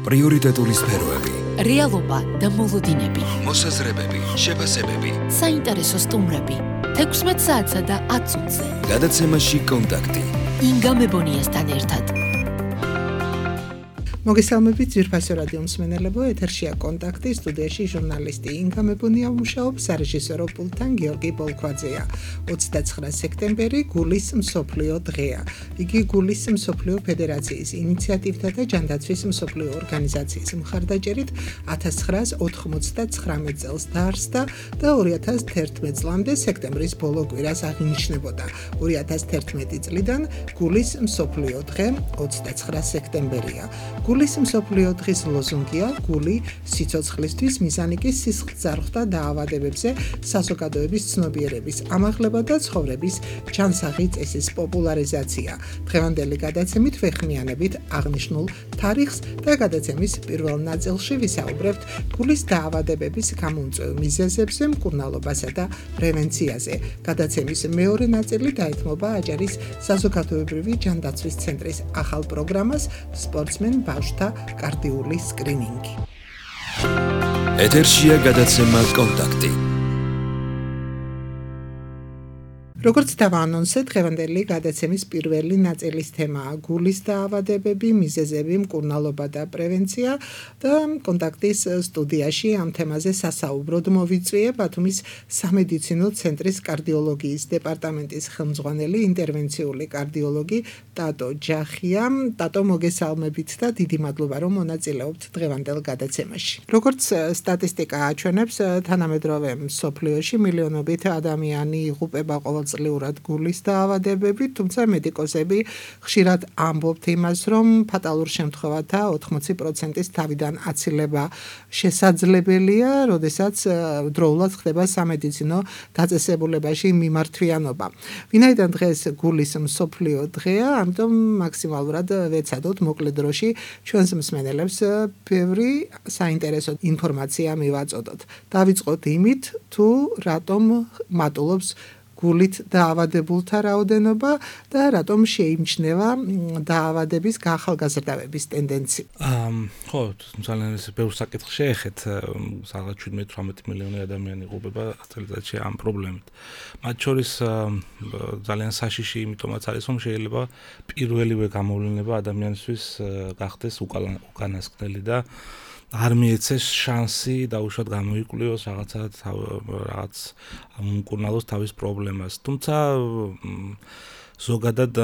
პრიორიტეტული სფეროები, რეალობა და მოლოდინები, მოსაზრებები, შეფასებები, საინტერესო სტუმრები, 16 საათსა და 10 წუთზე. გადაცემაში კონტაქტი. ინგა მებონიასთან ერთად. მოგესალმებით ძვირფასო რადიო მსმენელებო, ეთერშია კონტაქტი, სტუდიაში ჟურნალისტი ინგა მებონია მუშაობს, სარეჟისორო პულტთან გიორგი პოლქვაძეა. 29 სექტემბერი გულის მსოფლიო დღეა. იგი გულის მსოფლიო ფედერაციის ინიციატივთა და ჯანდაცვის მსოფლიო ორგანიზაციის მხარდაჭერით 1999 წელს დაარსდა და 2011 წლამდე სექტემბრის ბოლო კვირას აღინიშნებოდა. 2011 წლიდან გულის მსოფლიო დღე 29 სექტემბერია. გულის მსოფლიო დღის ლოზუნგია გული სიცოცხლისთვის, მიზანი კი სისხლძარღვთა დაავადებებზე საზოგადოების ცნობიერების ამაღლება და ცხოვრების ჯანსაღი წესის პოპულარიზაცია. დღევანდელი გადაცემით ვეხმიანებით აღნიშნულ თარიღს და გადაცემის პირველ ნაწილში ვისაუბრებთ გულის დაავადებების გამომწვევ მიზეზებზე, მკურნალობასა და პრევენციაზე. გადაცემის მეორე ნაწილი დაეთმობა აჭარის საზოგადოებრივი ჯანდაცვის ცენტრის ახალ პროგრამას სპორტსმენ ბავშვთა კარდიული სკრინინგი. ეთერშია გადაცემა კონტაქტი. როგორც დავაანონსე, დღევანდელი გადაცემის პირველი ნაწილის თემაა გულის დაავადებები, მიზეზები, მკურნალობა და პრევენცია და კონტაქტის სტუდიაში ამ თემაზე სასაუბროდ მოვიწვიე ბათუმის სამედიცინო ცენტრის კარდიოლოგიის დეპარტამენტის ხელმძღვანელი ინტერვენციული კარდიოლოგი ტატო ჯახია. ტატო, მოგესალმებით და დიდი მადლობა რომ მონაწილეობთ დღევანდელ გადაცემაში. როგორც სტატისტიკა აჩვენებს, თანამედროვე მსოფლიოში მილიონობით ადამიანი იღუპება ყოველწლიურად გულის დაავადებებით, თუმცა მედიკოსები ხშირად ამბობთ იმას, რომ ფატალურ შემთხვევათა 80%-ის თავიდან აცილება შესაძლებელია, როდესაც დროულად ხდება სამედიცინო დაწესებულებაში მიმართვიანობა. ვინაიდან დღეს გულის მსოფლიო დღეა, ამიტომ მაქსიმალურად ვეცადოთ მოკლე დროში ჩვენს მსმენელებს ბევრი საინტერესო ინფორმაცია მივაწოდოთ. დავიწყოთ იმით, თუ რატომ მატულობს გულით დაავადებულთა რაოდენობა და რატომ შეიმჩნევა დაავადების გაახალგაზრდავების ტენდენცია. ხო, ძალიან ბევრ საკითხს შეეხეთ, სადღაც 17-18 მილიონი ადამიანი იღუპება წელიწადში ამ პრობლემით. მათ შორის ძალიან საშიში იმიტომაც არის, რომ შეიძლება პირველივე გამოვლინება ადამიანისთვის გახდეს უკანასკნელი და არ მიეცეს შანსი დაუშვათ გამოიკვლიოს რაღაც მკურნალოს თავის პრობლემას. თუმცა ზოგადად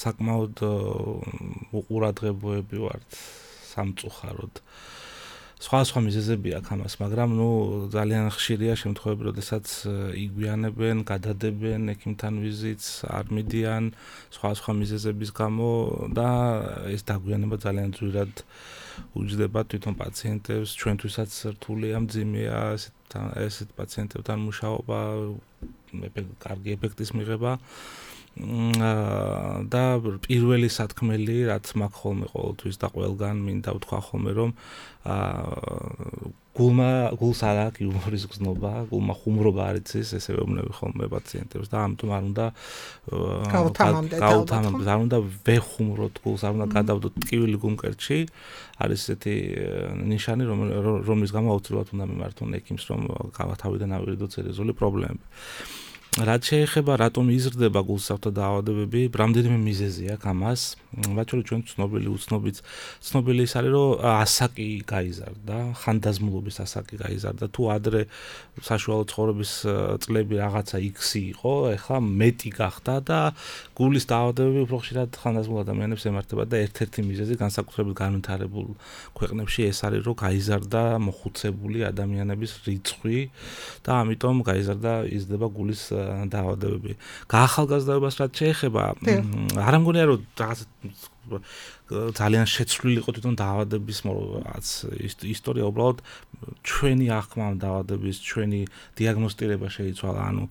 საკმაოდ უყურადღებოები ვართ სამწუხაროდ. სხვა მიზეზები აქვს ამას, მაგრამ ძალიან ხშირია შემთხვევები, როდესაც იგვიანებენ, გადადებენ ექიმთან ვიზიტს, არ მიდიან სხვა მიზეზების გამო და ეს დაგვიანება ძალიან ძვირად უჯდება თვითონ პაციენტებს, ჩვენთვისაც რთულია, მძიმეა ესეთ პაციენტებთან მუშაობა, კარგი ეფექტის მიღება და პირველი სათქმელი, რაც მაქვს ხოლმე ყოველთვის და ყველგან მინდა ვთქვა ხოლმე, რომ გულს არ აქვს იუმორის გზნობა, გულმა ხუმრობა არ იცის, ესე ვეუბნები ხოლმე პაციენტებს და ამიტომ არ უნდა გავუთამამდეთ, არ უნდა ვეხუმროთ გულს, არ უნდა გადავდოთ ტკივილი გულმკერდში. არის ესეთი ნიშანი, რომლის გამო აუცილებლად უნდა მიმართონ ექიმს, რომ თავიდან ავირიდოთ სერიოზული პრობლემები. რაც შეეხება რატომ იზრდება გულსაყრთა დაავადებები, რამდენიმე მიზეზი აქვს ამას. მათ შორის ჩვენ ცნობილი ის არის, რომ ასაკი გაიზარდა, ხანდაზმულობის ასაკი გაიზარდა. თუ ადრე საშუალო ცხოვრების წლები რაღაცა X-ი იყო, ეხლა მეტი გახდა და გულის დაავადებები უფრო ხშირად ხანდაზმულ ადამიანებს ემართება და ერთ-ერთი მიზეზი განსაკუთრებით განვითარებულ ქვეყნებში ეს არის, რომ გაიზარდა მოხუცებული ადამიანების რიცხვი და ამიტომ იზრდება გულის დაავადებები. გაახალგაზრდებას რაც შეეხება, არ ამგონია რომ რაღაც ძალიან შეცვლილი იყო თვითონ დაავადების ისტორია, უბრალოდ ჩვენი აღქმა ამ დაავადების, ჩვენი დიაგნოსტირება შეიცვალა, ანუ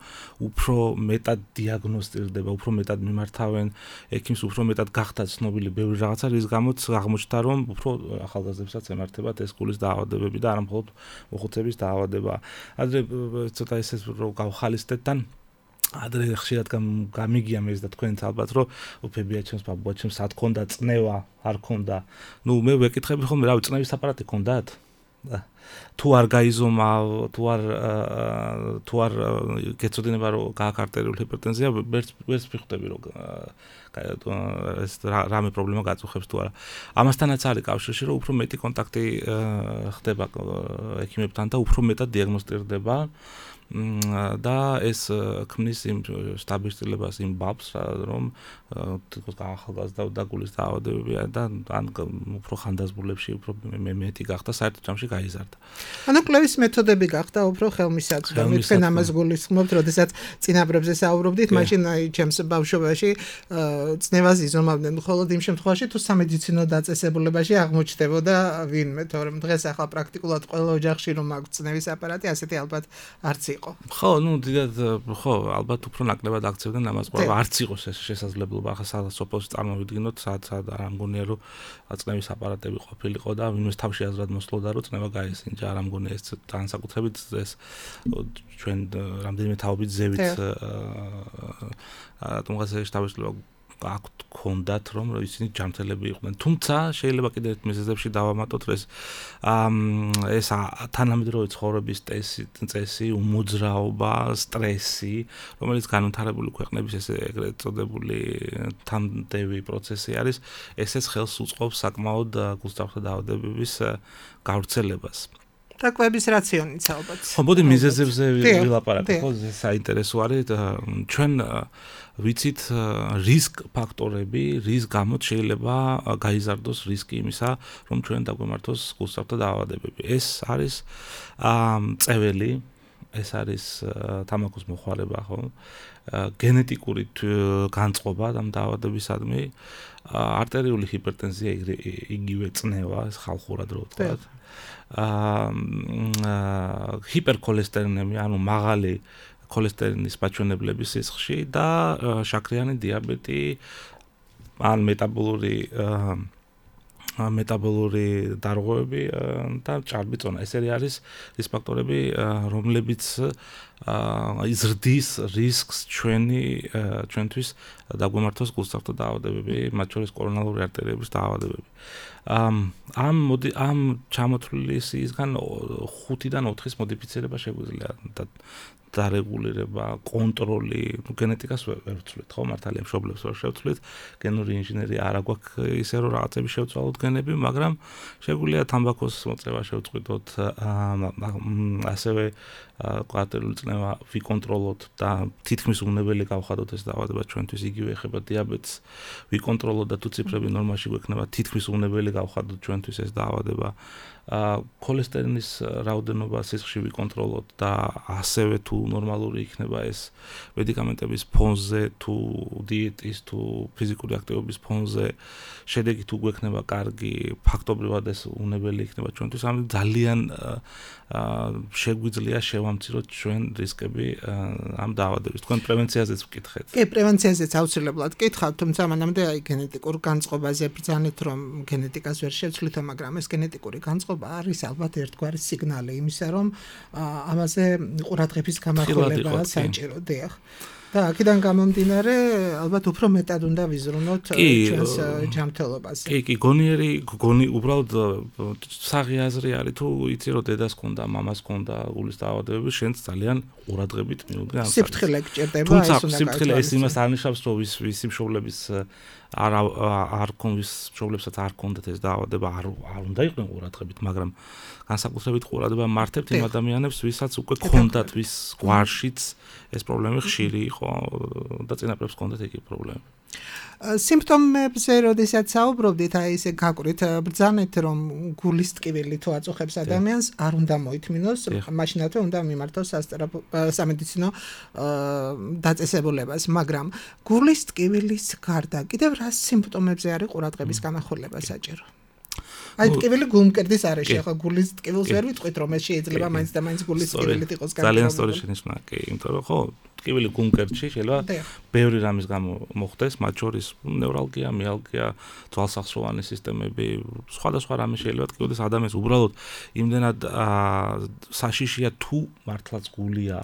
უფრო მეტად დიაგნოსტირდება, უფრო მეტად მიმართავენ ექიმს, უფრო მეტად გახდა ცნობილი ბევრი რაღაცა, რის გამოც აღმოჩნდა, რომ უფრო ახალგაზრდებსაც ემართებათ ეს გულის დაავადებები და არა მხოლოდ მოხუცების დაავადება. ადრე ცოტა ისე რომ გავხალისდეთ თან ადრე ხშირად გამიგია მეც და თქვენც ალბათ რომ უფებია ჩემს ბაბუა ჩემს სად ქონდა წნევა არ ქონდა ნუ მე ვეკითხები ხოლმე რავი წნევის აპარატი ქონდათ თუ არ გაიზომა თუ არ გეცოდინება რომ გააკარტერული ჰიპერტენზია ვერც ვიხდები რომ ეს რამე პრობლემა გაწუხებს თუ არა ამასთანაც არის კავშირში რომ უფრო მეტი კონტაქტი ხდება ექიმებთან და უფრო მეტად დიაგნოსტირდება და ეს ქმნის იმ სტაბილიზებას იმ ბაბს რომ თქოს ახალგაზრდა და გულის დაავადებებია და ან უფრო ხანდაზმულებში უფრო მეტი გახდა საერთო ჯამში გაიზარდა. ანუ კლევის მეთოდები გახდა უფრო ხელმისაწვდომი თქვენ ამას გულისხმობთ, როდესაც წინაპრებზე საუბრობდით, მაშინ ჩემს ბავშვობაში წნევას იზომავდნენ მხოლოდ იმ შემთხვევაში თუ სამედიცინო დაწესებულებაში აღმოჩნდებოდა ვინმე, თორემ დღეს ახლა პრაქტიკულად ყველა ოჯახში რომ აქვს წნევის აპარატი, ასეთი ალბათ არც იყო. ხო, ნუ დიდად ხო, ალბათ უფრო ნაკლებად აქცევდნენ ამას, ყველა არც იყოს ეს შესაძლებლობა, ახლა სადაც სოფელში წარმოვიდგინოთ, სად არ ამგონია რომ წნევის აპარატები ყოფილიყო და ვინმეს თავში აზრად მოსლოდა რომ წნევა გაესინჯა, არ ამგონია ეს განსაკუთრებით ეს ჩვენ რამდენიმე თაობით ზევით თუმცა შტაბისლობა აქვთ კონდათ რომ ისინი ჯანმრთელები იყვნენ. თუმცა შეიძლება კიდევ ერთ მიზეზებში დავამატოთ ეს ეს თანამედროვე ცხოვრების წესი, უმოძრაობა, სტრესი, რომელიც განვითარებული ქვეყნების ესე ეგრეთ წოდებული თანდევი პროცესი არის, ესეც ხელს უწყობს საკმაოდ გულსდახთა დაავადებების გავრცელებას. და კვების რაციონიც ალბათ. ხო, მოდი მიზეზებზე ვილაპარაკოთ, ხო, ეს საინტერესო არის. ჩვენ ვიცით რისკ ფაქტორები, რის გამოც შეიძლება გაიზარდოს რისკი იმისა, რომ ჩვენ დაგვემართოს გულსდახთა დაავადებები. ეს არის წეველი, ეს არის თამბაქოს მოხმარება, ხო? გენეტიკური განწყობა ამ დაავადებისადმი, არტერიული ჰიპერტენზია, იგივე წნევა, ეს ხალხურად რო ვთქვათ. ჰიპერქოლესტერინემი, ანუ მაღალი ქოლესტერინის მაჩვენებლების სისხლში და შაქრიანი დიაბეტი ან მეტაბოლური დარღვევები და ჭარბი წონა. ესერი არის ის ფაქტორები, რომლებიც იზრდის რისკს ჩვენთვის დაგვემართოს გულსდახთა დაავადებები, მათ შორის კორონალური არტერიების დაავადებები. ამ ჩამოთვლისგან 5-დან 4-ის მოდიფიცირება შეგვიძლია და დარეგულირება, კონტროლი, გენეტიკას ვერ ვცვლით, ხო, მართალია მშობლებს ვერ შევცვლით, გენური ინჟინერია არ აქვს ისე რომ რაღაცები შევცვალოთ გენები, მაგრამ შეგვიძლია თამბაქოს მოწევა შევწყვიტოთ, ასევე არტერიული წნევა ვიკონტროლოთ და თითქმის უნებელი გავხადოთ ეს დაავადება ჩვენთვის იგივე ეხება დიაბეტს, ვიკონტროლოთ და თუ ციფრები ნორმაში გვექნება, თითქმის უნებელი გავხადოთ ჩვენთვის ეს დაავადება. ქოლესტერინის რაოდენობა სისხლში ვიკონტროლოთ და ასევე თუ ნორმალური იქნება ეს მედიკამენტების ფონზე, თუ დიეტის, თუ ფიზიკური აქტივობის ფონზე, შედეგი თუ გვექნება კარგი, ფაქტობრივად ეს უნებელი იქნება ჩვენთვის, ამიტომ ძალიან შეგვიძლია შევამციროთ ჩვენ რისკები ამ დაავადების. თქვენ პრევენციაზეც ვკითხეთ. კი, პრევენციაზეც აუცილებლად კითხავთ, თუმცა მანამდე აი გენეტიკურ განწყობაზე ბრძანეთ, რომ გენეტიკას ვერ შევცვლითო, მაგრამ ეს გენეტიკური განწყობა არის ალბათ ერთგვარი სიგნალი იმისა, რომ ამაზე ყურადღების გამახვილებაა საჭირო, დიახ. და აქედან გამომდინარე, ალბათ უფრო მეტად უნდა ვიზრუნოთ ჩვენს ჯანმრთელობას. კი, უბრალოდ საღი აზრი არის, თუ იცი რომ დედას ქონდა, მამას ქონდა გულის დაავადებები, შენც ძალიან ყურადღებით მიუდგე ამ. სიფრთხილე გჭირდება, ეს უნდა სიფრთხილე ეს იმას არ ნიშნავს, რომ ვის მშობლების არ ქონდეს მშობლებსაც არ ქონდათ ეს დაავადება, არ უნდა იყვნენ ყურადღებით, მაგრამ განსაკუთრებით ყურადღება მართებთ იმ ადამიანებს, ვისაც უკვე ქონდათ, ვის გვარშიც ეს პრობლემა ხშირი იყო და წინაპრებს ქონდათ ეგ პრობლემა. სიმპტომებზე როდესაც საუბრობდით, აი ესე გაკვრით, ბრძანეთ, რომ გულის ტკივილი თუ აწუხებს ადამიანს, არ უნდა მოითმინოს, მაშინათვე უნდა მიმართოს სამედიცინო დაწესებულებას, მაგრამ გულის ტკივილის გარდა კიდევ რა სიმპტომებზე არის ყურადღების გამახვილება საჭირო? აი ტკივილი გულმკერდის არეში, ახლა გულის ტკივილს ვერ ვიტყვით, რომ ეს შეიძლება მაინც და მაინც გულის ტკივილით იყოს განსხვავებული. ძალიან სწორი შენიშვნა, კი, იმიტომ რომ ხო ტკივილი გულმკერდში შეიძლება ბევრი რამის გამო მოხდეს, მათ შორის ნევრალგია, მიალგია, ძვალსახსოვანი სისტემები, სხვადასხვა რამე შეიძლება ტკივილის ადამიანს უბრალოდ იმდენად საშიშია თუ მართლაც გულია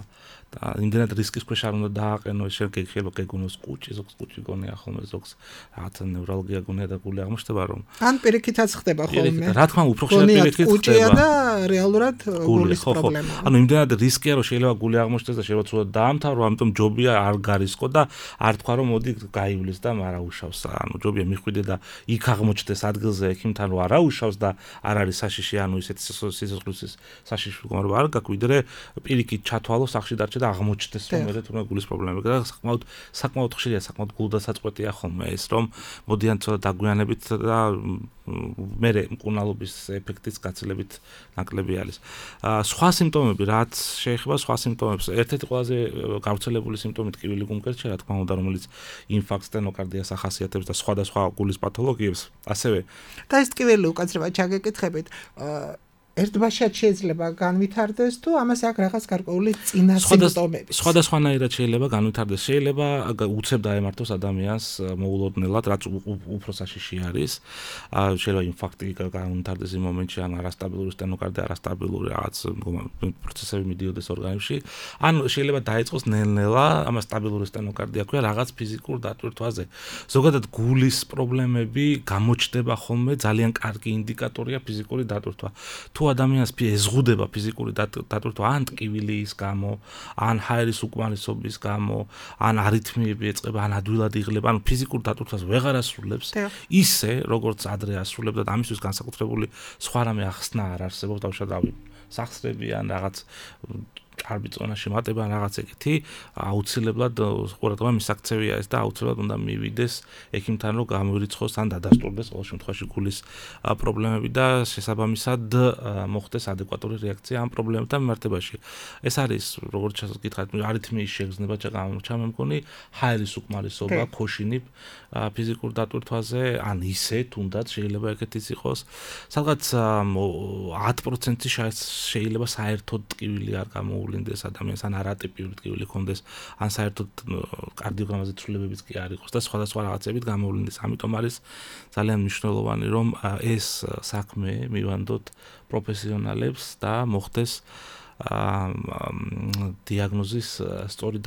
და იმდენად რისკის ქვეშ არ უნდა დააყენო, შეიძლება გეგონოს კუჭი, ზოგს კუჭი გონია ხოლმე, ზოგს რაღაცა ნევრალგია გონია და გული აღმოჩნდება რომ ან პირიქითაც ხდება ხოლმე. რა თქმა უფრო ხშირად პირიქით ხდება და რეალურად გულის პრობლემაა. ანუ იმდენად რისკია რომ შეიძლება გული აღმოჩნდეს და შეიძლება ცუდად დაამთავრო, ამიტომ ჯობია არ გარისკო და არ თქვა რომ მოდი გაივლის და მარაუშავს. ანუ ჯობია მიხვიდე და იქ აღმოჩნდეს ადგილზე ექიმთან რომ არაუშავს და არ არის საშიში, ანუ ისეთი სიცოცხლის საშიში მდგომარეობა არ გაქვს, ვიდრე პირიქით ჩათვალო სახში დარჩე და აღმოჩნდეს რომ მე თუნდაც გულის პრობლემები და საკმაოდ ხშირია, საკმაოდ გულდასაწყვეტია ხოლმე ეს რომ მოდიან ცოტა დაგვიანებით და მე მკურნალობის ეფექტის გაცილებით ნაკლები არის. სხვა სიმპტომები, რაც შეეხება სხვა სიმპტომებს, ერთ-ერთი ყველაზე გავრცელებული სიმპტომი ტკივილი გულმკერდში, რა თქმა უნდა, რომელიც ინფარქტს, სტენოკარდიას ახასიათებს და სხვადასხვა გულის პათოლოგიებს, ასევე და ეს ტკივილი უკაცრებად ჩაგეკითხებით, ერთბაშად შეიძლება განვითარდეს თუ ამას აქვს რაღაც გარკვეული წინა სიმპტომები. სხვადასხვანაირად შეიძლება განვითარდეს. შეიძლება უცებ დაემართოს ადამიანს მოულოდნელად, რაც უფრო საშიში არის. შეიძლება ინფარქტი განვითარდეს იმ მომენტში, ან არასტაბილური სტენოკარდია, არასტაბილური რაღაც პროცესები მიდიოდეს ორგანიზმში. ან შეიძლება დაიწყოს ნელ-ნელა, ამას სტაბილური სტენოკარდია ქვია, რაღაც ფიზიკურ დატვირთვაზე. ზოგადად გულის პრობლემები გამოჩნდება ხოლმე, ძალიან კარგი ინდიკატორია ფიზიკური დატვირთვა. თუ ადამიანს ეზღუდება ფიზიკური დატვირთვა ან ტკივილის გამო, ან ჰაერის უკმარისობის გამო, ან არითმიები ეწყება, ან ადვილად იღლება, ან ფიზიკურ დატვირთვას ვეღარ ასრულებს, ისე როგორც ადრე ასრულებდა და ამისთვის განსაკუთრებული სხვა რამე ახსნა არ არსებობს, დავშადავი სახსრები ან რაღაც ჭარბი წონაში მატება ან რაღაც ეგეთი, აუცილებლად ყურადღება მისაქცევია ეს და აუცილებლად უნდა მივიდეს ექიმთან რომ გამორიცხოს ან დადასტურდეს ყოველ შემთხვევაში გულის პრობლემები და შესაბამისად მოხდეს ადეკვატური რეაქცია ამ პრობლემებთან მიმართებაში. ეს არის როგორც გითხარით, არითმიის შეგრძნება ჩამე მგონი, ჰაერის უკმარისობა, ქოშინი ფიზიკურ დატვირთვაზე, ან ისე თუნდაც შეიძლება ეგეთიც იყოს. სადღაც 10% შეიძლება საერთოდ ტკივილი არ გამოულინდეს ადამიანს, ან არატიპიური ტკივილი ჰქონდეს, ან საერთოდ კარდიოგრამაზე ცვლილებებიც კი არ იყოს და სხვადასხვა რაღაცებით გამოულინდეს. ამიტომ არის ძალიან მნიშვნელოვანი, რომ ეს საქმე მივანდოთ პროფესიონალებს და მოხდეს დიაგნოზის სწორი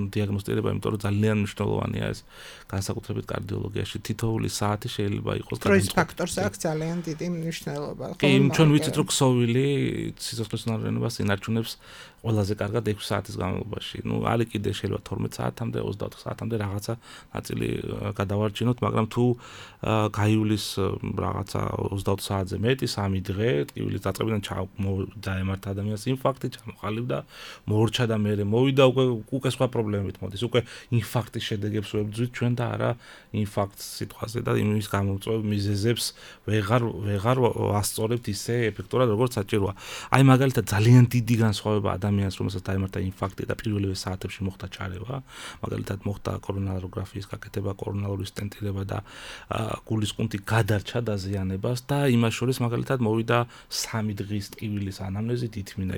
დიაგნოსტირება, იმიტომ რომ ძალიან მნიშვნელოვანია ეს განსაკუთრებით კარდიოლოგიაში. თითოეული საათი შეიძლება იყოს სტრესის ფაქტორს აქვს ძალიან დიდი მნიშვნელობა. კი, ჩვენ ვიცით რომ ქსოვილი სიცოცხლის უნარიანობას ინარჩუნებს ყველაზე კარგად 6 საათის განმავლობაში. ნუ არის კიდე შეიძლება 12 საათამდე, 24 საათამდე რაღაცა ნაწილი გადავარჩინოთ, მაგრამ თუ გაივლის რაღაცა 24 საათზე მეტი, 3 დღე, ტკივილის დაწყებიდან დაემართა ადამიანს ინფარქტი, ჩამოყალიბდა, მოორჩა და მერე მოვიდა უკვე სხვა პრობლემებით მოდის. უკვე ინფარქტის შედეგებს ვებძვით ჩვენ და არა ინფარქტს სიტყვაზე და იმის გამომწვევ მიზეზებს ვეღარ ასწორებთ ისე ეფექტურად როგორც საჭიროა. აი მაგალითად ძალიან დიდი განსხვავება ადამიანს, რომელსაც დაემართა ინფარქტი და პირველივე საათებში მოხდა ჩარევა, მაგალითად მოხდა კორონაროგრაფიის გაკეთება, კორონალური სტენტირება და გულის ყუნთი გადარჩა დაზიანებას და იმას შორის მაგალითად მოვიდა 3 დღის ტკივილის ანამნეზით ითმინა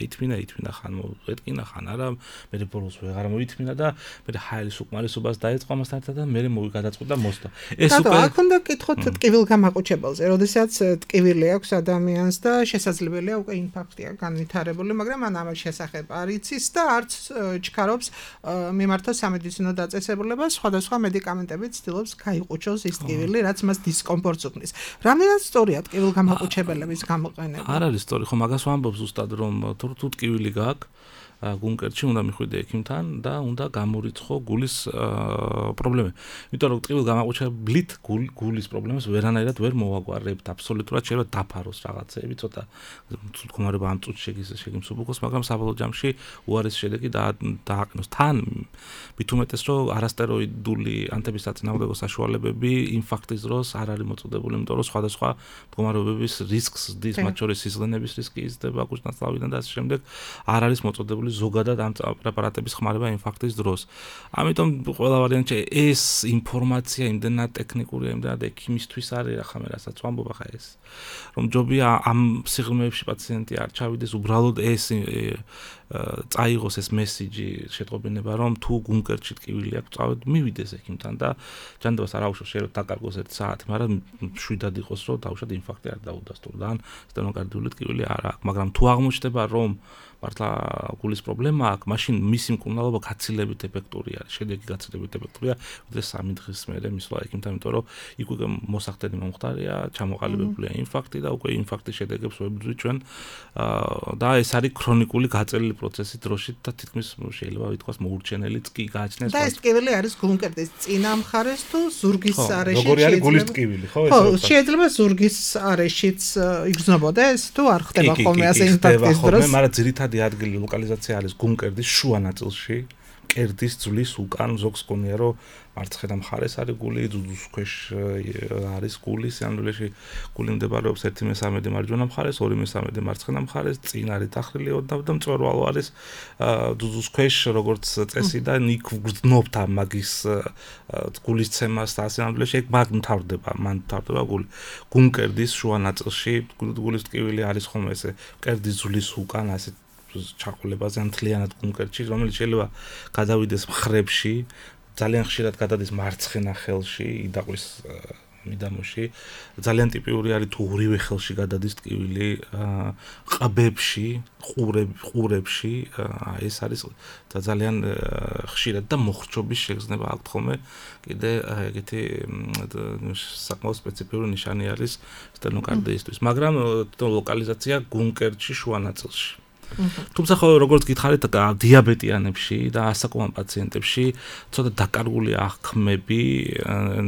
ხან მოეთკინა ხან არა, მე ბოლოს ვეღარ მოითმინა და მე ჰაერის უკმარისობას დაეწყო ამასთან ერთად და მე გადაწყვიტა მოსვლა. ეს უკვე აქ უნდა გკითხოთ ტკივილგამაყუჩებელზე, როდესაც ტკივილი აქვს ადამიანს და შესაძლებელია უკვე ინფარქტია განვითარებული, მაგრამ ან ამას შესახებ არ იცის და არც ჩქარობს მიმართოს სამედიცინო დაწესებულებას, სხვადასხვა მედიკამენტებით ცდილობს გაიყუჩოს ის ტკივილი, რაც მას დისკომფორტს უქმნის. რამდენად სწორია ტკივილგამაყუჩებელების გამოყენება? არ არის სწორი, ხო მაგას ვამბობ ზუსტად რომ თუ ტკივილი გაქვს გულმკერდში უნდა მიხვიდე ექიმთან და უნდა გამორიცხო გულის პრობლემები. იმიტომ რომ ტკივილ გამაყუჩებლით გულის პრობლემას ვერანაირად ვერ მოვაგვარებთ. აბსოლუტურად შეიძლება დაფაროს რაღაცეები, ცოტა მდგომარეობა ამ წუთში შეგიმსუბუქოს, მაგრამ საბოლოო ჯამში უარესი შედეგი დააყენოს. თან მით უმეტეს რომ არასტეროიდული ანთების საწინააღმდეგო საშუალებები ინფარქტის დროს არ არის მოწოდებული, იმიტომ რომ სხვადასხვა მდგომარეობების რისკს ზრდის, მათ შორის სისხლენების რისკი იზრდება, კუჭნაცლავიდან და ასე შემდეგ, არ არის მოწოდებული არის ზოგადად ამ პრეპარატების ხმარება ინფარქტის დროს. ამიტომ ყველა ვარიანტში ეს ინფორმაცია იმდენად ტექნიკურია, იმდენად ექიმისთვის არის, ახლა მე რასაც ვამბობ ახლა ეს. რომ ჯობია ამ სიღრმეებში პაციენტი არ ჩავიდეს, უბრალოდ ეს წაიღოს ეს მესიჯი შეტყობინება, რომ თუ გულმკერდში ტკივილი აქვს, წავედ მივიდეს ექიმთან და ჯანდაბას არ აუშვოს შეიძლება დაკარგოს 1 საათი, მაგრამ შვიდად იყოს, რომ დაუშვათ ინფარქტი არ დაუდასტურდა, ან სტენოკარდიული ტკივილი არ აქვს, მაგრამ თუ აღმოჩნდება, რომ მართლა გულის პრობლემა აქვს, მაშინ მისი მკურნალობა გაცილებით ეფექტური არის, შედეგი გაცილებით ეფექტურია, ვიდრე 3 დღის მერე მისვლა ექიმთან, იმიტომ რომ იქ უკვე მოსახდენი მომხდარია, ჩამოყალიბებულია ინფარქტი და უკვე ინფარქტის შედეგებს ვებრძვით ჩვენ და ეს არის ქრონიკული გაწელილი პროცესი დროშით და თითქმის შეიძლება ვითქვას მოურჩენელიც კი გააჩნეს. და ეს ტკივილი არის გულმკერდის წინა მხარეს თუ ზურგის არეში? როგორი არის გულის ტკივილი, ხო? ხო, შეიძლება ზურგის არეშიც იგრძნობოდა ეს თუ არ ხდება ხოლმე ასე ინფარქტის დროს? მაგრამ ძირითადი ადგილი ლოკალიზაცია არის გულმკერდის შუა ნაწილში, კერდის ძვლის უკან ზოგს გონია რომ მარცხენა მხარეს არის გული, ძუძუს ქვეშ არის გული, სინამდვილეში გული მდებარეობს 1/3 მარჯვენა მხარეს, 2/3 მარცხენა მხარეს, წინ არის დახრილი ოდნავ და მწვერვალო არის ძუძუს ქვეშ, როგორც წესი და იქ გრძნობთ ამ მაგის გულის ცემას და სინამდვილეში ეგ მან მთავრდება გული. გულმკერდის შუა ნაწილში გულის ტკივილი არის ხოლმე ესე კერდის ძვლის უკან ასე ჩაყოლებაზე ან მთლიანად გულმკერდში, რომელიც შეიძლება გადავიდეს მხრებში, ძალიან ხშირად გადადის მარცხენა ხელში, იდაყვის მიდამოში. ძალიან ტიპიური არის თუ ორივე ხელში გადადის ტკივილი, ყბებში, ყურებში, ეს არის ძალიან ხშირად და მოხრჩობის შეგრძნება აქვს ხოლმე. კიდე ეგეთი საკმაოდ სპეციფიკური ნიშანი არის სტენოკარდიისთვის, მაგრამ ლოკალიზაცია გულმკერდში შუა ნაწილში. თუმცა ხო როგორც გითხარით დიაბეტიანებში და ასაკოვან პაციენტებში ცოტა დაკარგული აღქმები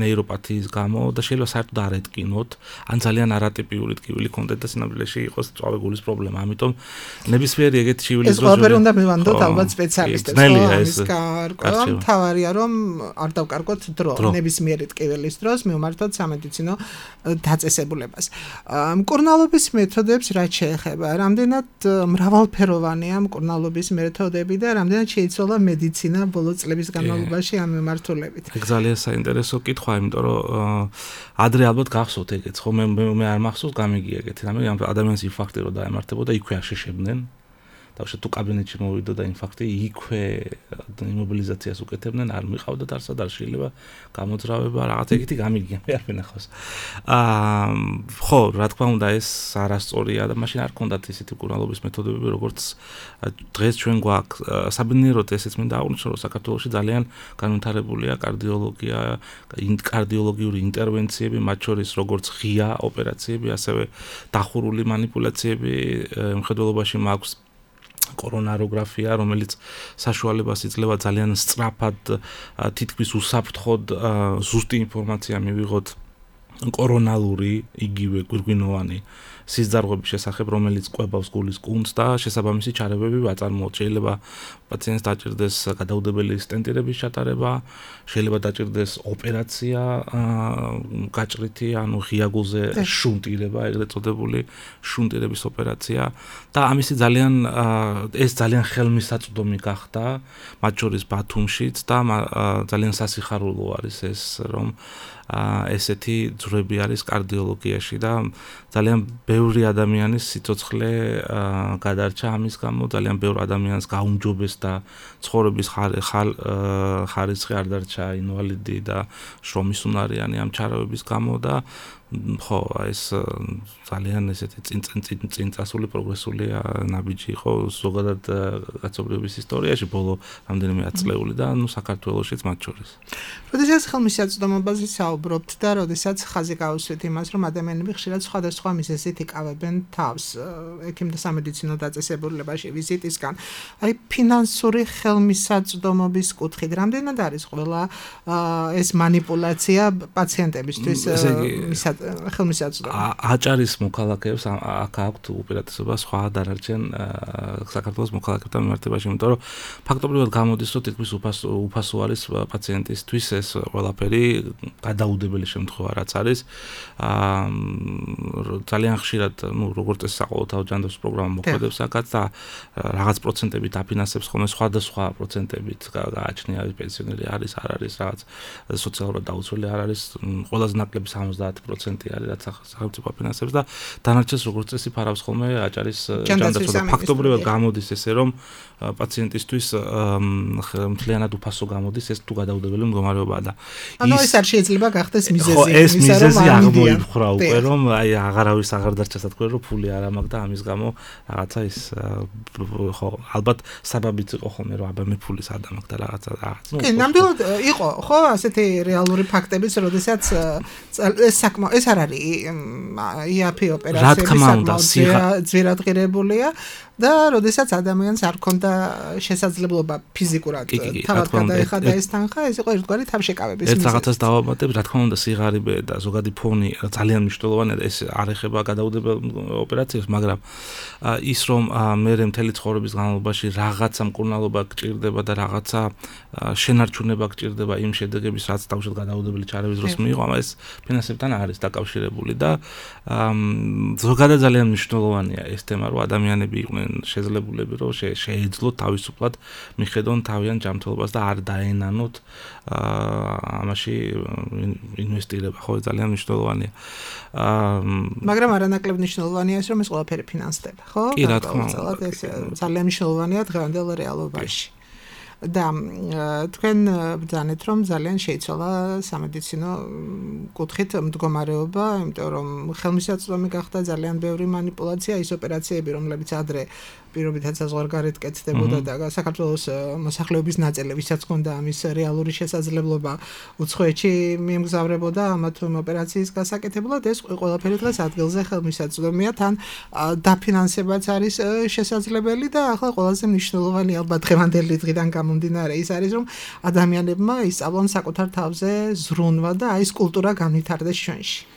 ნეიროპათიის გამო და შეიძლება საერთოდ არ ეტკინოთ, ან ძალიან არატიპიური ტკივილი კონდეთ და სინამდვილეში იყოს წვავე გულის პრობლემა. ამიტომ ნებისმიერი ეგეთი ჩივილი ეს ყველაფერი უნდა მივანდოთ ალბათ სპეციალისტებს, ამის გარკვევა მთავარია რომ არ დავკარგოთ დრო, ნებისმიერი ტკივილის დროს მივმართოთ სამედიცინო დაწესებულებას. მკურნალობის მეთოდებს რაც შეეხება, რამდენად მრავალფეროვანია მკურნალობის მეთოდები და რამდენად შეიცვალა მედიცინა ბოლო წლების განმავლობაში ამ მიმართულებით. ეგ ძალიან საინტერესო კითხვაა, იმიტომ რომ ადრე ალბათ გახსოვთ ეგეც, ხო მე არ მახსოვს გამიგია ეგეთი რამე, ადამიანის ინფარქტი რო დაემართებოდა, იქვე აშეშებდნენ. დავშე თუ კაბინეტში მოვიდოდა ინფარქტი, იქვე იმობილიზაციას უკეთებდნენ, არ მიყავდათ არსად, არ შეიძლება გამოძრავება, რაღაც ეგეთი გამიგია, მე არ ვინახავს. ხო, რა თქმა უნდა, ეს არასწორია და მაშინ არ ქონდათ ისეთი მკურნალობის მეთოდები, როგორც დღეს ჩვენ გვაქვს. საბინიეროდ ესეც მინდა აღვნიშნო, რომ საქართველოში ძალიან განვითარებულია კარდიოლოგია, კარდიოლოგიური ინტერვენციები, მათ შორის როგორც ღია ოპერაციები, ასევე დახურული манипуляციები, მხედველობაში მაქვს კორონაროგრაფია, რომელიც საშუალებას იძლევა ძალიან სწრაფად თითქმის უსაფრთხოდ ზუსტი ინფორმაცია მივიღოთ კორონალური, იგივე გვირგვინოვანი სისხლძარღვების შესახებ, რომელიც ყვებავს გულის კუნთს და შესაბამისი ჩარევები ვაწარმოოთ. შეიძლება პაციენტს დაჭირდეს გადაუდებელი სტენტირების ჩატარება, შეიძლება დაჭირდეს ოპერაცია გაჭრითი, ანუ ღია გულზე შუნტირება, ეგრეთ წოდებული შუნტირების ოპერაცია და ამისი ეს ძალიან ხელმისაწვდომი გახდა, მათ შორის ბათუმშიც და ძალიან სასიხარულო არის ეს, რომ ესეთი ძვრები არის კარდიოლოგიაში და ძალიან ბევრი ადამიანის სიცოცხლე გადარჩა ამის გამო, ძალიან ბევრი ადამიანს გაუმჯობესდა ცხოვრების ხარისხი არ დარჩა, ინვალიდი და შრომისუნარიანი ამ ჩარევების გამო და ხო, ეს ძალიან ესეთი წინწასული პროგრესული ნაბიჯი იყო ზოგადად კაცობრიობის ისტორიაში ბოლო რამდენიმე ათწლეული და საქართველოშიც მათ შორის. როდესაც ხელმისაწვდომობაზე საუბრობთ და როდესაც ხაზი გავუსვით იმას, რომ ადამიანები ხშირად სხვადასხვა მიზეზით იკავებენ თავს ექიმთა სამედიცინო დაწესებულებაში ვიზიტისგან, აი ფინანსური ხელმისაწვდომობის კუთხით რამდენად არის ყველა ეს манипуляცია პაციენტებისთვის ხელმისაწვდომი. აჭარის მოქალაქეებს აქ აქვთ უპირატესობა სხვა დანარჩენ საქართველოს მოქალაქეებთან მიმართებაში, იმიტომ რომ ფაქტობრივად გამოდის, რომ თითქმის უფასო არის პაციენტისთვის ეს ყველაფერი გადაუდებელი შემთხვევა რაც არის. ძალიან ხშირად, როგორც ეს საყოველთაო ჯანდაცვის პროგრამა მოქმედებს აქაც და რაღაც პროცენტებით აფინანსებს ხოლმე სხვადასხვა პროცენტებით გააჩნია პენსიონერი არის, არ არის, რაღაც სოციალურად დაუცველი არ არის, ყველაზე ნაკლები 70% არის, რაც სახელმწიფო აფინანსებს და დანარჩენს როგორც წესი ფარავს ხოლმე აჭარის ჯანდაცვა. ფაქტობრივად გამოდის ესე, რომ პაციენტისთვის მთლიანად უფასო გამოდის, ეს თუ გადაუდებელი მდგომარეობაა და ეს არ შეიძლება გახდეს მიზეზი, ეს მიზეზი აღმოიფხვრა უკვე, რომ აი აღარავის აღარ დარჩა სათქმე, რომ ფული არ ამაქვს და ამის გამო რაღაცა ის ხო ალბათ საბაბიც იყო ხოლმე, რომ აბა მე ფული სად ამაქვს და რაღაცა. კი, ნამდვილად იყო, ხო, ასეთი რეალური ფაქტებიც, როდესაც ეს არ არის იაფი ოპერაციები საკმაოდ ძვირადღირებულია და როდესაც ადამიანს არ ქონდა შესაძლებლობა ფიზიკურად თავად გადაეხადა ეს თანხა, ეს იყო ერთგვარი თავშეკავების მიზეზი. ერთ რაღაცას დავამატებ, რა თქმა უნდა, სიღარიბე და ზოგადი ფონი ძალიან მნიშვნელოვანია და ეს არ ეხება გადაუდებელ ოპერაციებს, მაგრამ ის რომ მე მთელი ცხოვრების განმავლობაში რაღაცა მკურნალობა გჭირდება და რაღაცა შენარჩუნება გჭირდება იმ შედეგების, რაც თავშად გადაუდებელი ჩარევის დროს მიიღო, ეს ფინანსებთან არის დაკავშირებული და ზოგადად ძალიან მნიშვნელოვანია ეს თემა, რომ ადამიანები იყვნენ შეძლებულები, რომ შეეძლოთ თავისუფლად მიხედონ თავიანთ ჯანმრთელობას და არ დაენანოთ ამაში ინვესტირება, ხო, ძალიან მნიშვნელოვანია. მაგრამ არანაკლებ მნიშვნელოვანია ის, რომ ეს ყველაფერი ფინანსდება, ხო? კი, რა თქმა უნდა. ეს ძალიან მნიშვნელოვანია დღევანდელ რეალობაში. და თქვენ ბრძანეთ, რომ ძალიან შეიცვალა სამედიცინო კუთხით მდგომარეობა, იმიტომ რომ ხელმისაწვდომი გახდა ძალიან ბევრი манипуляცია, ის ოპერაციები, რომლებიც ადრე პირობითაც საზღვარგარეთ კეთდებოდა და საქართველოს მოსახლეობის ნაწილი, ვისაც ჰქონდა ამის რეალური შესაძლებლობა უცხოეთში მიემგზავრებოდა ამათ ოპერაციის გასაკეთებლად, ეს ყველაფერი დღეს ადგილზე ხელმისაწვდომია, თან დაფინანსებაც არის შესაძლებელი და ახლა ყველაზე მნიშვნელოვანი ალბათ დღევანდელი დღიდან გამომდინარე ის არის, რომ ადამიანებმა ისწავლონ საკუთარ თავზე ზრუნვა და აი ეს კულტურა განვითარდეს ჩვენში.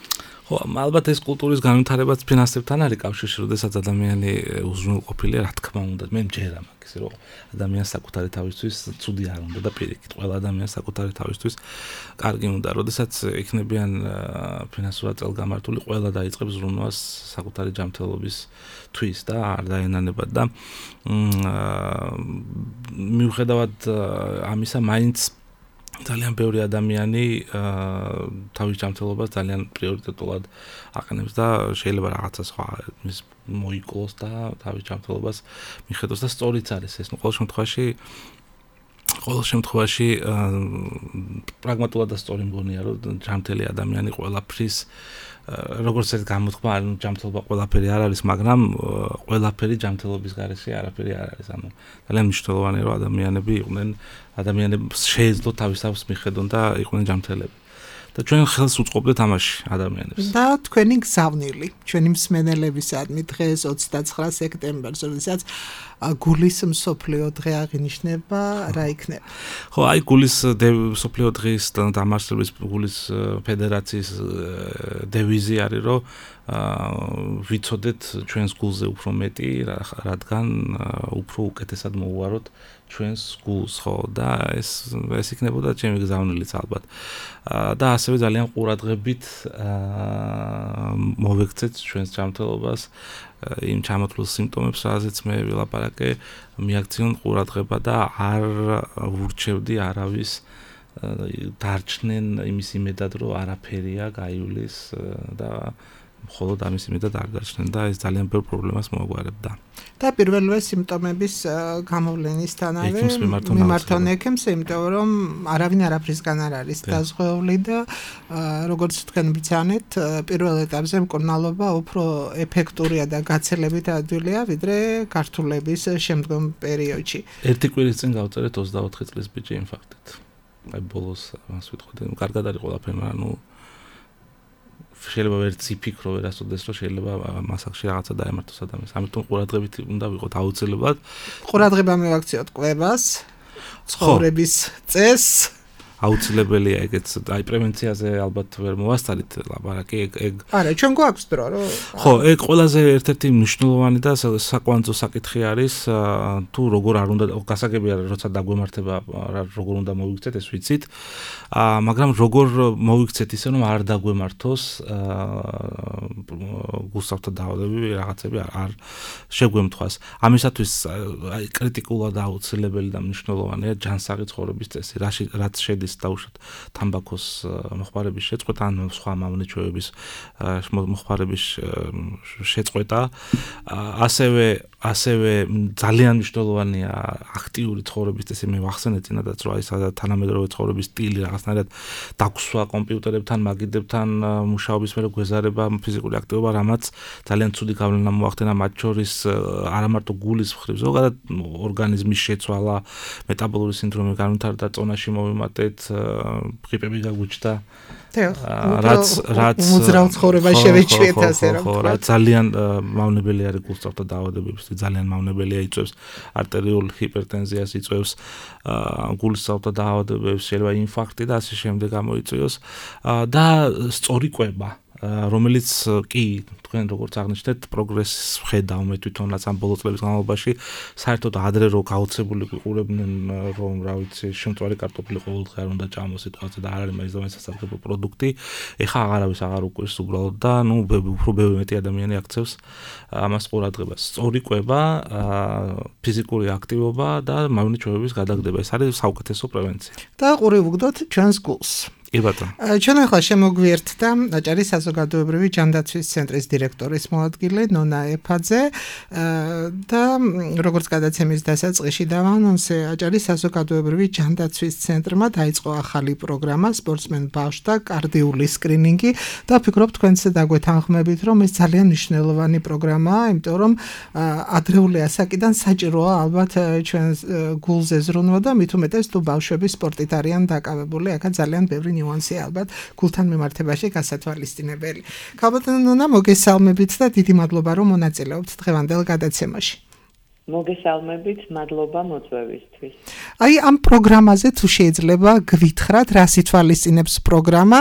ხო, ალბათ ეს კულტურის განვითარებაც ფინანსებთან არის კავშირში, როდესაც ადამიანი უზრუნველყოფილია, რა თქმა უნდა, მე მჯერა მაგის, რომ ადამიანს საკუთარი თავისთვის ცუდი არ უნდა და პირიქით, ყველა ადამიანს საკუთარი თავისთვის კარგი უნდა, როდესაც იქნებიან ფინანსურად წელგამართული, ყველა დაიწყებს ზრუნვას საკუთარი ჯანმრთელობისთვის და არ დაენანებად და მიუხედავად ამისა, მაინც ძალიან ბევრი ადამიანი თავის ჯანმრთელობას ძალიან პრიორიტეტულად აყენებს და შეიძლება რაღაცა სხვა მის მოიკლოს და თავის ჯანმრთელობას მიხედოს და სწორიც არის ეს. ყოველ შემთხვევაში პრაგმატულად და სწორი მგონია, რომ ჯანმრთელი ადამიანი ყველაფრის როგორც ეს გამოთქმა, ჯანმრთელობა ყველაფერი არ არის, მაგრამ ყველაფერი ჯანმრთელობის გარეშე არაფერი არ არის. ანუ ძალიან მნიშვნელოვანია, რომ ადამიანებს შეეძლოთ თავის თავს მიხედონ და იყვნენ ჯანმრთელები. და ჩვენ ხელს უწყობდეთ ამაში ადამიანებს. და თქვენი გზავნილი, ჩვენი მსმენელებისადმი დღეს 29 სექტემბერს, როდესაც გულის მსოფლიო დღე აღინიშნება, რა იქნება? ხო, აი გულის მსოფლიო დღის დამარცხების გულის ფედერაციის დევიზი არის, რომ ვიცოდეთ ჩვენს გულზე უფრო მეტი, რადგან უფრო უკეთესად მოუვაროთ ჩვენს გულს, ხო, და ეს იქნებოდა ჩემი გზავნილიც ალბათ. და ასევე ძალიან ყურადღებით მოვექცეთ ჩვენს ჯანმრთელობას, იმ ჩამოთვლილ სიმპტომებს, რაზეც მე ვილაპარაკე, მიაქციონ ყურადღება და არ ვურჩევდი არავის დარჩნენ იმის იმედად, რომ არაფერია გაივლის და მხოლოდ ამის იმედად არ დარჩნენ და ეს ძალიან ბევრ პრობლემას მოაგვარებდა. და პირველივე სიმპტომების გამოვლენისთანავე მიმართონ ექიმს, იმიტომ რომ არავინ არაფრისგან არ არის დაზღვეული და როგორც თქვენ ბრძანეთ, პირველ ეტაპზე მკურნალობა უფრო ეფექტურია და გაცილებით ადვილია, ვიდრე გართულების შემდგომ პერიოდში. ერთი კვირის წინ გავწერეთ 24 წლის ბიჭი ინფარქტით. აი ბოლოს მას ვიტყოდი, კარგად არის ყველაფერი, მაგრამ შეიძლება ვერც იფიქრო ვერასოდეს, რომ შეიძლება მასახში რაღაცა დაემართოს ადამიანს. ამიტომ ყურადღებით უნდა ვიყოთ აუცილებლად. ყურადღება მივაქციოთ კვებას, ცხოვრების წესს აუცილებელია ეგეც აი პრევენციაზე ალბათ ვერ მოვასწარით ლაპარაკი ეგ არა ჩვენ გვაქვს დრო რომ ხო ეგ ყველაზე ერთ-ერთი მნიშვნელოვანი და საკვანძო საკითხი არის თუ როგორ არ უნდა გასაგებია როცა დაგვემართება როგორ უნდა მოვიქცეთ ეს ვიცით მაგრამ როგორ მოვიქცეთ ისე რომ არ დაგვემართოს გულსავნთა დაავადებები რაღაცები არ შეგვემთხვას ამისათვის აი კრიტიკულად აუცილებელი და მნიშვნელოვანია ჯანსაღი ცხოვრების წესი რაც შედის დაუშვათ თამბაქოს მოხმარების შეწყვეტა ან სხვა მავნეჩვევების მოხმარების შეწყვეტა ასევე ძალიან მნიშვნელოვანია აქტიური ცხოვრების წესი მე ვახსენე წინადაც რომ აი თანამედროვე ცხოვრების სტილი რაღაცნაირად დაგსვა კომპიუტერებთან მაგიდებთან მუშაობის მერე გვეზარება ფიზიკური აქტივობა რამაც ძალიან ცუდი გავლენა მოახდინა მათ შორის არა მარტო გულის მხრივ ზოგადად ორგანიზმის შეცვალა მეტაბოლური სინდრომი განვითარდა წონაში მოვიმატეთ ღრიპები გაგვიჩნდა რაც მოძრავ ცხოვრება შევეჩვიეთ ასე რომ რა ძალიან მავნებელი არის გულსავნთა დაავადებების ძალიან მავნებელია იწვევს არტერიული ჰიპერტენზიას იწვევს გულსავნთა დაავადებებს შეიძლება ინფარქტი და ასე შემდეგ გამოიწვიოს და სწორი კვება რომელიც კი თქვენ როგორც აღნიშნეთ პროგრესს ვხედავ მე თვითონაც ამ ბოლო წლების განმავლობაში საერთოდ ადრე რო გაოცებული ვიყურებდნენ რომ რა ვიცი შემწვარი კარტოფილი ყოველდღე არ უნდა ჭამოს სიტუაცია და არ არის მაინც და მაინც სასარგებლო პროდუქტი ეხა აღარავის აღარ უყურს უბრალოდ და ნუ უფრო ბევრი მეტი ადამიანი აქცევს ამას ყურადღებას სწორი კვება ფიზიკური აქტივობა და მავნეჩვევების გადაგდება ეს არის საუკეთესო პრევენცია და ყური ვუგდოთ ჩვენს გულს კი ბატონო. ჩვენ ახლა შემოგვიერთდა აჭარის საზოგადოებრივი ჯანდაცვის ცენტრის დირექტორის მოადგილე ნონა ეფაძე და როგორც გადაცემის დასაწყისში დავანონსე აჭარის საზოგადოებრივი ჯანდაცვის ცენტრმა დაიწყო ახალი პროგრამა სპორტსმენ ბავშვთა კარდიული სკრინინგი და ვფიქრობ თქვენც დაგვეთანხმებით რომ ეს ძალიან მნიშვნელოვანი პროგრამაა იმიტომ რომ ადრეული ასაკიდან საჭიროა ალბათ ჩვენს გულზე ზრუნვა და მით უმეტეს თუ ბავშვები სპორტით არიან დაკავებული აქა ძალიან ბევრი ნიუანსი ალბათ გულთან მიმართებაში გასათვალისწინებელი. ქალბატონო ნონა მოგესალმებით და დიდი მადლობა რომ მონაწილეობთ დღევანდელ გადაცემაში. მოგესალმებით, მადლობა მოწვევისთვის. აი ამ პროგრამაზე თუ შეიძლება გვითხრათ რა სითვალისწინებს პროგრამა,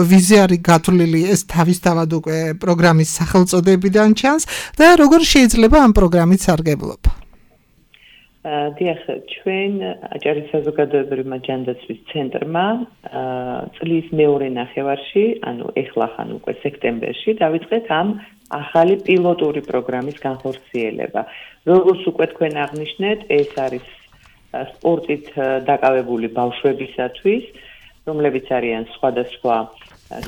ვიზე არის გათვლილი ეს თავისთავად უკვე პროგრამის სახელწოდებიდან ჩანს და როგორ შეიძლება ამ პროგრამით სარგებლობა? დიახ, ჩვენ აჭარის საზოგადოებრივმა ჯანდაცვის ცენტრმა წლის მეორე ნახევარში, ანუ ეხლახან უკვე სექტემბერში დავიწყეთ ამ ახალი პილოტური პროგრამის განხორციელება. როგორც უკვე თქვენ აღნიშნეთ, ეს არის სპორტით დაკავებული ბავშვებისათვის, რომლებიც არიან სხვადასხვა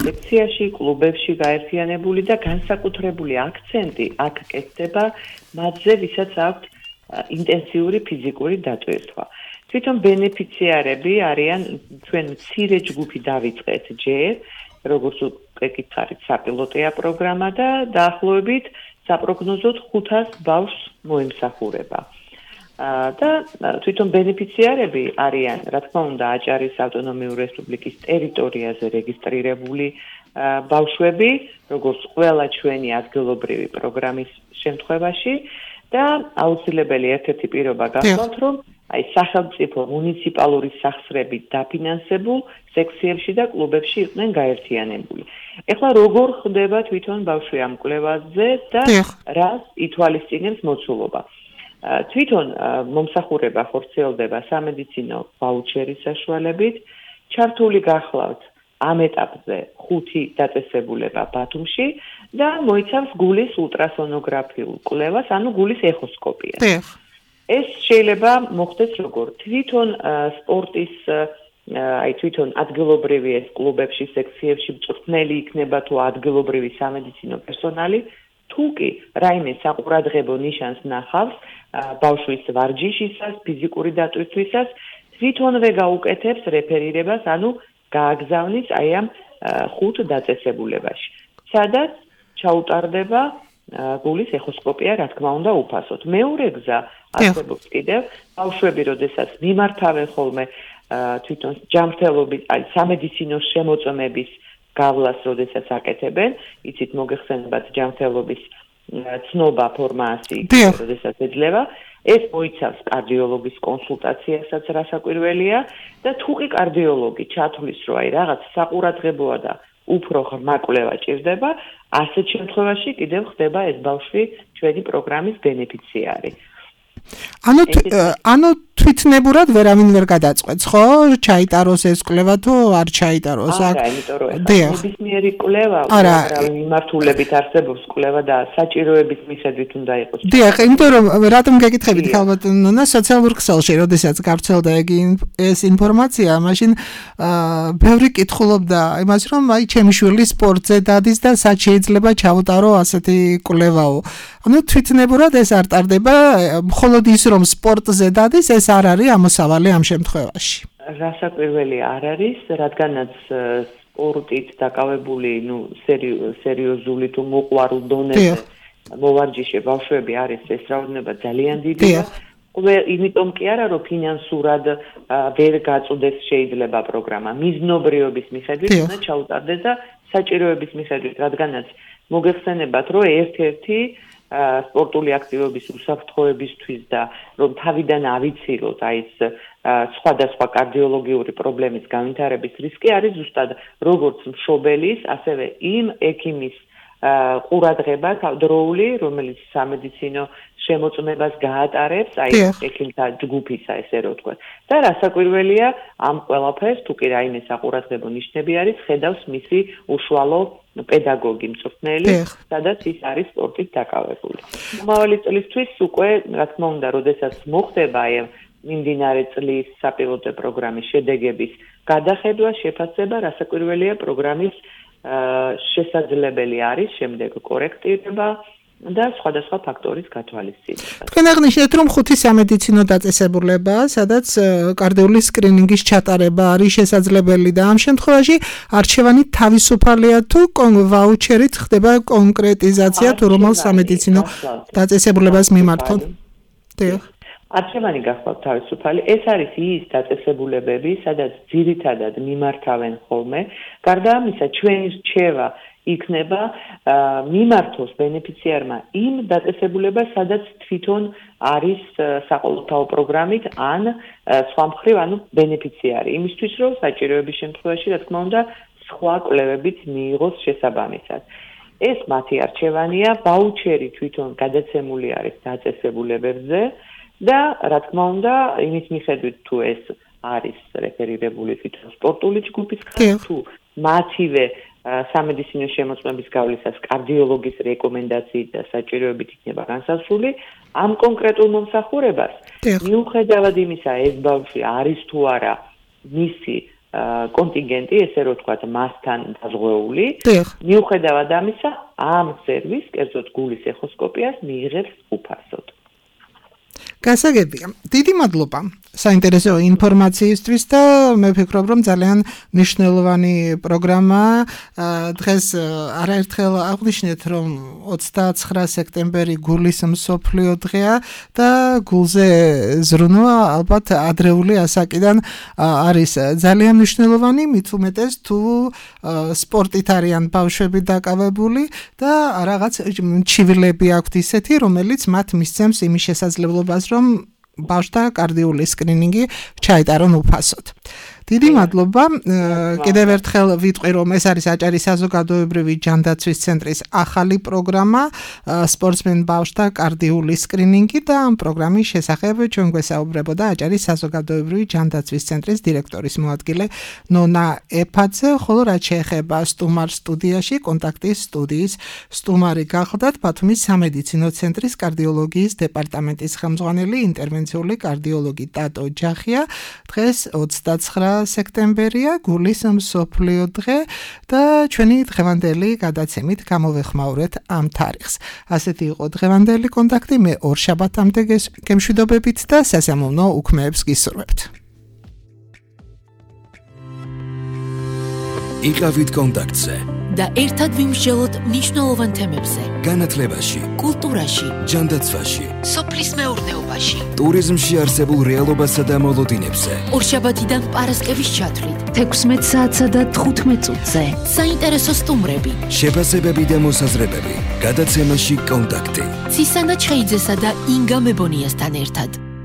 სექციაში, კლუბებში გაერთიანებული და განსაკუთრებული აქცენტი აქ კეთდება მათზე, ვისაც აქვთ ინტენსიური ფიზიკური დატვირთვა. თვითონ ბენეფიციარები არიან ჩვენ მცირე ჯგუფი დავიწყეთ ჯერ, როგორც უკვე გითხარით, საპილოტია პროგრამა და დაახლოებით საპროგნოზოდ 500 ბავშვს მოემსახურება. და თვითონ ბენეფიციარები არიან, რა თქმა უნდა, აჭარის ავტონომიური რესპუბლიკის ტერიტორიაზე რეგისტრირებული ბავშვები, როგორც ყველა ჩვენი ადგილობრივი პროგრამის შემთხვევაში. და აუცილებელი ერთ-ერთი პირობა გახლავთ, რომ აი სახელმწიფო მუნიციპალური სახსრებით დაფინანსებულ სექციებში და კლუბებში იყვნენ გაერთიანებული. ეხლა როგორ ხდება თვითონ ბავშვი ამ კვლევაზე და რას ითვალისწინებს მოცულობა? თვითონ მომსახურება ხორციელდება სამედიცინო ვაუჩერის საშუალებით, ჩართული გახლავთ ამ ეტაპზე 5 დაწესებულება ბათუმში და მოიცავს გულის ულტრასონოგრაფიულ კვლევას, ანუ გულის ეხოსკოპიას. ეს შეიძლება მოხდეს როგორ? თვითონ სპორტის აი თვითონ ადგილობრივი ეს კლუბებში, სექციებში მწვრთნელი იქნება თუ ადგილობრივი სამედიცინო პერსონალი, თუ კი რაიმე საყურადღებო ნიშანს ნახავს ბავშვის ვარჯიშისას, ფიზიკური დატვირთვისას, თვითონვე გაუკეთებს რეფერირებას, ანუ გააგზავნის აი ამ 5 დაწესებულებაში. სადაც ჩაუტარდება გულის ეხოსკოპია, რა თქმა უნდა, უფასოდ. მეორე გზა არსებობს კიდევ, ბავშვები, როდესაც მიმართავენ ხოლმე თვითონ ჯანმრთელობის, აი სამედიცინო შემოწმების გავლას, როდესაც აკეთებენ, იცით მოგეხსენებათ ჯანმრთელობის ცნობა ფორმაცი, როდესაც ეძლევა, ეს მოიცავს კარდიოლოგის კონსულტაციასაც, რასაკვირველია და თუ კი კარდიოლოგი ჩათვლის, რომ აი რაღაც საყურადღებოა და უფრო ღრმა კვლევა ჭირდება, ასეთ შემთხვევაში კიდევ ხდება ეს ბავშვი ჩვენი პროგრამის ბენეფიციარი. ანუ თვითნებურად ვერავინ ვერ გადაწყვეტს, ხო? ჩაიტაროს ეს კვლევა თუ არ ჩაიტაროს? არა, იმიტომ რომ ნებისმიერი კვლევა მიმართულებით არსებობს კვლევა და საჭიროების მიხედვით უნდა იყოს. დიახ, იმიტომ რომ რატომ გეკითხებით ხალბატონონა სოციალურ ქსელში, როდესაც გავრცელდა ეს ინფორმაცია, მაშინ ბევრი კითხულობდა იმას, რომ აი ჩემი შვილი სპორტზე დადის და სად შეიძლება ჩავუტარო ასეთი კვლევაო. ანუ თვითნებურად ეს არ ტარდება, მხოლოდ ის რომ სპორტზე დადის, ეს არ არის ამოსავალი ამ შემთხვევაში. რასაკვირველი არ არის, რადგანაც სპორტით დაკავებული, სერიოზული თუ მოყვარულ დონეზე მოვარჯიშე ბავშვები არის ეს რაოდენობა ძალიან დიდია. იმიტომ კი არა, რომ ფინანსურად ვერ გაწუდეს შეიძლება პროგრამა. მიზნობრიობის მიხედვით უნდა ჩაუტარდეს და საჭიროების მიხედვით, რადგანაც მოგეხსენებათ, რომ ერთ-ერთი სპორტული აქტივობის უსაფრთხოებისთვის და რომ თავიდან ავიცილოთ აი ეს სხვადასხვა კარდიოლოგიური პრობლემის განვითარების რისკი არის ზუსტად როგორც მშობელის, ასევე იმ ექიმის ყურადღება დროული, რომელიც სამედიცინო შემოწმებას გაატარებს, აი ექიმთა ჯგუფისა, ესე რომ ვთქვათ. და რასაკვირველია, ამ ყველაფერს თუ კი რაიმე საყურადღებო ნიშნები არის, ხედავს მისი უშუალო პედაგოგი მწვრთნელი, სადაც ის არის სპორტით დაკავებული. მომავალი წლისთვის უკვე, რა თქმა უნდა, როდესაც მოხდება აი მიმდინარე წლის საპილოტო პროგრამის შედეგების გადახედვა, შეფასება, რასაკვირველია, პროგრამის შესაძლებელი არის შემდეგ კორექტირება და სხვადასხვა ფაქტორის გათვალისწინება. თქვენ აღნიშნეთ, რომ 5 სამედიცინო დაწესებულება, სადაც კარდიული სკრინინგის ჩატარება არის შესაძლებელი და ამ შემთხვევაში არჩევანი თავისუფალია თუ ვაუჩერით ხდება კონკრეტიზაცია თუ რომელ სამედიცინო დაწესებულებას მიმართონ. დიახ. არჩევანი გახვალ თავისუფალი. ეს არის ის დაწესებულებები, სადაც ძირითადად მიმართავენ ხოლმე. გარდა ამისა, ჩვენი რჩევა იქნება მიმართოს ბენეფიციარმა იმ დაწესებულებას, სადაც თვითონ არის საყოველთაო პროგრამით ან სხვა მხრივ, ანუ ბენეფიციარი. იმისთვის, რომ საჭიროების შემთხვევაში, რა თქმა უნდა, სხვა კვლევებით მიიღოს შესაბამისად. ეს მათი არჩევანია, ვაუჩერი თვითონ გადაცემული არის დაწესებულებებზე. და რა თქმა უნდა, იმის მიხედვით თუ ეს არის რეფერირებული თვითონ სპორტული ჯგუფისგან, თუ მათივე სამედიცინო შემოწმების გავლისას კარდიოლოგის რეკომენდაციით და საჭიროებით იქნება განსაზღვრული, ამ კონკრეტულ მომსახურებას მიუხედავად იმისა, ეს ბავშვი არის თუ არა მისი კონტინგენტი, ესე რომ ვთქვათ, მასთან დაზღვეული, მიუხედავად ამისა, ამ სერვისს, კერძოდ გულის ეხოსკოპიას მიიღებს უფასოდ. გასაგებია. დიდი მადლობა საინტერესო ინფორმაციისთვის და მე ვფიქრობ, რომ ძალიან მნიშვნელოვანი პროგრამაა. დღეს არაერთხელ აღვნიშნეთ, რომ 29 სექტემბერი გულის მსოფლიო დღეა და გულზე ზრუნვა ალბათ ადრეული ასაკიდან არის ძალიან მნიშვნელოვანი, მით უმეტეს თუ სპორტით არიან ბავშვები დაკავებული და რაღაც ჩივილები აქვთ ისეთი, რომელიც მათ მისცემს იმის შესაძლებლობას, რომ ბავშვთა კარდიული სკრინინგი ჩაიტარონ უფასოდ. დიდი მადლობა. კიდევ ერთხელ ვიტყვი, რომ ეს არის აჭარის საზოგადოებრივი ჯანდაცვის ცენტრის ახალი პროგრამა სპორტსმენ ბავშვთა კარდიული სკრინინგი და ამ პროგრამის შესახებ ჩვენ გვესაუბრებოდა აჭარის საზოგადოებრივი ჯანდაცვის ცენტრის დირექტორის მოადგილე ნონა ეფაძე, ხოლო რაც შეეხება სტუმარ სტუდიაში, კონტაქტის სტუდიის სტუმარი გახლდათ ბათუმის სამედიცინო ცენტრის კარდიოლოგიის დეპარტამენტის ხელმძღვანელი ინტერვენციული კარდიოლოგი ტატო ჯახია. დღეს 29 სექტემბერია, გულის მსოფლიო დღე და ჩვენი დღევანდელი გადაცემით გამოვეხმაურეთ ამ თარიღს. ასეთი იყო დღევანდელი კონტაქტი, მე ორშაბათამდე გემშვიდობებით და სასიამოვნო უქმეებს გისურვებთ. იყავით კონტაქტზე. და ერთად ვიმსჯელოთ მნიშვნელოვან თემებზე. განათლებაში, კულტურაში, ჯანდაცვაში, სოფლის მეურნეობაში, ტურიზმში არსებულ რეალობასა და მოლოდინებზე. ორშაბათიდან პარასკევის ჩათვლით 16 საათსა და 15 წუთზე. საინტერესო სტუმრები, შეფასებები და მოსაზრებები. გადაცემაში კონტაქტი. ცისანა ჩხეიძესა და ინგა მებონიასთან ერთად.